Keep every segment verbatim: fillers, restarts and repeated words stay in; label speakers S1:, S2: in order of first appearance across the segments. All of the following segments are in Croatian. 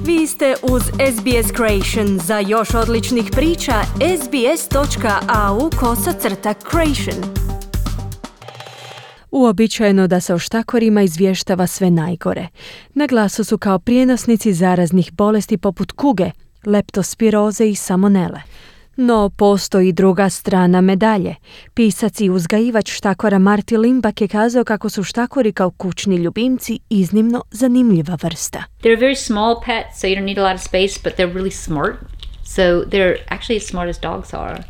S1: Vi ste uz S B S Creation. Za još odličnih priča, sbs.au kosacrta creation. Uobičajeno da se o štakorima izvještava sve najgore. Na glasu su kao prijenosnici zaraznih bolesti poput kuge, leptospiroze i salmonele. No, postoji druga strana medalje. Pisac i uzgajivač štakora Marty Limbach je kazao kako su štakori kao kućni ljubimci iznimno zanimljiva vrsta.
S2: They're very small pets, so you don't need a lot of space, but they're really smart. So they're actually as smart as dogs are.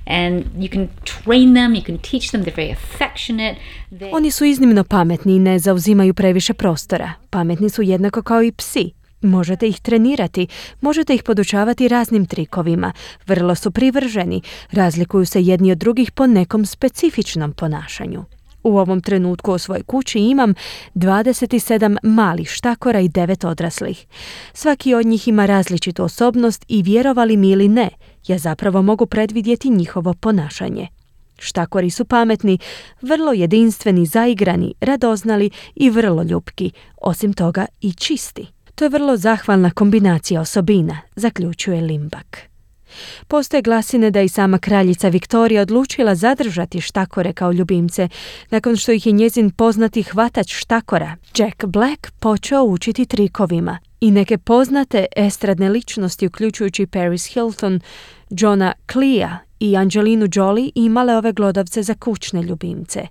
S2: And you can train them, you can teach them, they're very affectionate. They...
S1: Oni su iznimno pametni i ne zauzimaju previše prostora. Pametni su jednako kao i psi. Možete ih trenirati, možete ih podučavati raznim trikovima. Vrlo su privrženi, razlikuju se jedni od drugih po nekom specifičnom ponašanju. U ovom trenutku u svojoj kući imam dvadeset sedam malih štakora i devet odraslih. Svaki od njih ima različitu osobnost i vjerovali mi ili ne, ja zapravo mogu predvidjeti njihovo ponašanje. Štakori su pametni, vrlo jedinstveni, zaigrani, radoznali i vrlo ljubki, osim toga i čisti. To je vrlo zahvalna kombinacija osobina, zaključuje Limbach. Postoje glasine da i sama kraljica Viktorija odlučila zadržati štakore kao ljubimce, nakon što ih je njezin poznati hvatač štakora, Jack Black, počeo učiti trikovima. I neke poznate estradne ličnosti, uključujući Paris Hilton, Johna Cleese i Angelinu Jolie, imale ove glodavce za kućne ljubimce.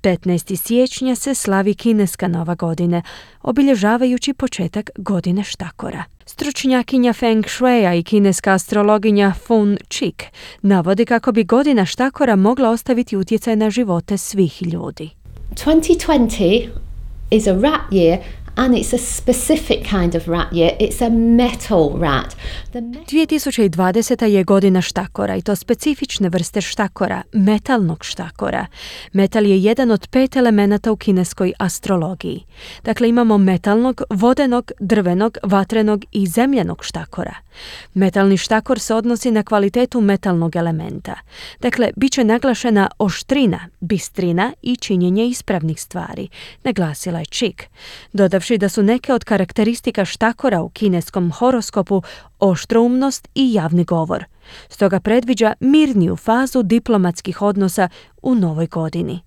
S1: petnaestog siječnja se slavi kineska nova godine, obilježavajući početak godine štakora. Stručnjakinja Feng Shuia i kineska astrologinja Fun Chik navodi kako bi godina štakora mogla ostaviti utjecaj na živote svih ljudi.
S3: twenty twenty is a rat year. And it's a specific kind of rat year. It's a metal rat. The me-
S1: dvije tisuće dvadeseta je godina štakora i to specifične vrste štakora, metalnog štakora. Metal je jedan od pet elemenata u kineskoj astrologiji. Dakle, imamo metalnog, vodenog, drvenog, vatrenog i zemljanog štakora. Metalni štakor se odnosi na kvalitetu metalnog elementa. Dakle, bit će naglašena oštrina, bistrina i činjenje ispravnih stvari, naglasila je Chik, dodavši da su neke od karakteristika štakora u kineskom horoskopu oštroumnost i javni govor. Stoga predviđa mirniju fazu diplomatskih odnosa u novoj godini.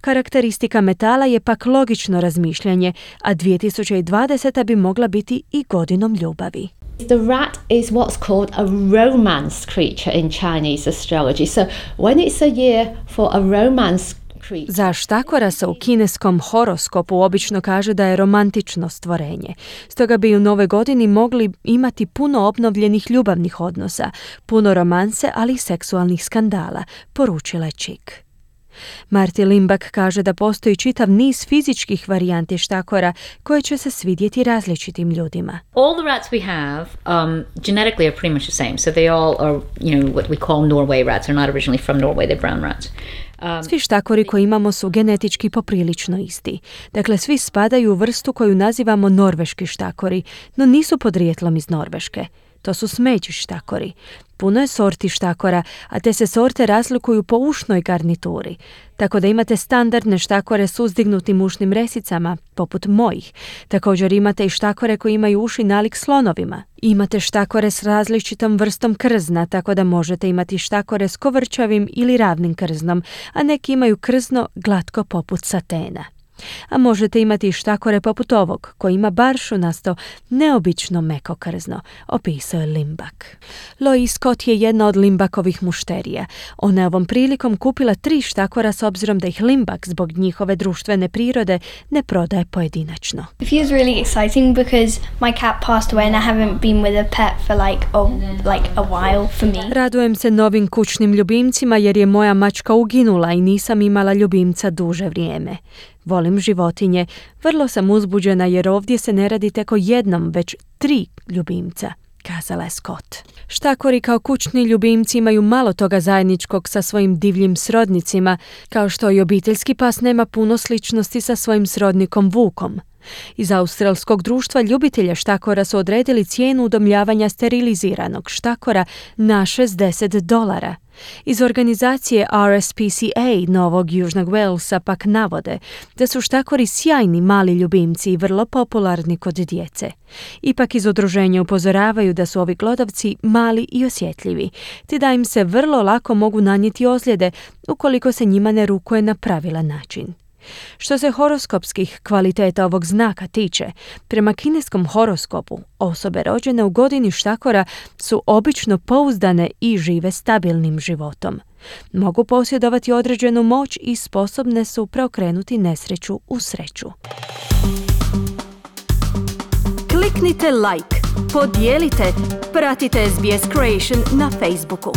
S1: Karakteristika metala je pak logično razmišljanje, a dvije tisuće dvadeseta bi mogla biti i godinom ljubavi.
S3: The rat is what's called a romance creature in Chinese astrology. So when it's a year for a romance creature...
S1: Za štakora se u kineskom horoskopu obično kaže da je romantično stvorenje. Stoga bi u nove godini mogli imati puno obnovljenih ljubavnih odnosa, puno romanse, ali i seksualnih skandala, poručila je Chik. Marty Limbach kaže da postoji čitav niz fizičkih varijanti štakora koje će se svidjeti različitim ljudima.
S2: All the rats we have um, genetically are pretty much the same. So they all are, you know, what we call Norway rats. They're not originally from Norway, they're brown rats. Um,
S1: svi štakori koje imamo su genetički poprilično isti. Dakle, svi spadaju u vrstu koju nazivamo norveški štakori, no nisu podrijetlom iz Norveške. To su smeđi štakori. Puno je sorti štakora, a te se sorte razlikuju po ušnoj garnituri. Tako da imate standardne štakore s uzdignutim ušnim resicama, poput mojih. Također imate i štakore koji imaju uši nalik slonovima. Imate štakore s različitom vrstom krzna, tako da možete imati štakore s kovrčavim ili ravnim krznom, a neki imaju krzno glatko poput satena. A možete imati i štakore poput ovog, koji ima baršunasto, neobično meko krzno, opisao je Limbach. Lois Scott je jedna od Limbachovih mušterija. Ona je ovom prilikom kupila tri štakora s obzirom da ih Limbach zbog njihove društvene prirode ne prodaje pojedinačno.
S4: It feels really exciting because my cat passed away and I haven't been with a pet for like a, like a while for me.
S1: Radujem se novim kućnim ljubimcima jer je moja mačka uginula i nisam imala ljubimca duže vrijeme. Volim životinje, vrlo sam uzbuđena jer ovdje se ne radi tek o jednom, već tri ljubimca, kazala je Scott. Štakori kao kućni ljubimci imaju malo toga zajedničkog sa svojim divljim srodnicima, kao što i obiteljski pas nema puno sličnosti sa svojim srodnikom vukom. Iz australskog društva ljubitelja štakora su odredili cijenu udomljavanja steriliziranog štakora na šezdeset dolara. Iz organizacije R S P C A Novog Južnog Walesa pak navode da su štakori sjajni mali ljubimci i vrlo popularni kod djece. Ipak iz udruženja upozoravaju da su ovi glodavci mali i osjetljivi, te da im se vrlo lako mogu nanijeti ozljede ukoliko se njima ne rukuje na pravilan način. Što se horoskopskih kvaliteta ovog znaka tiče, prema kineskom horoskopu, osobe rođene u godini štakora su obično pouzdane i žive stabilnim životom. Mogu posjedovati određenu moć i sposobne su preokrenuti nesreću u sreću. Kliknite like, podijelite, pratite S B S Creation na Facebooku.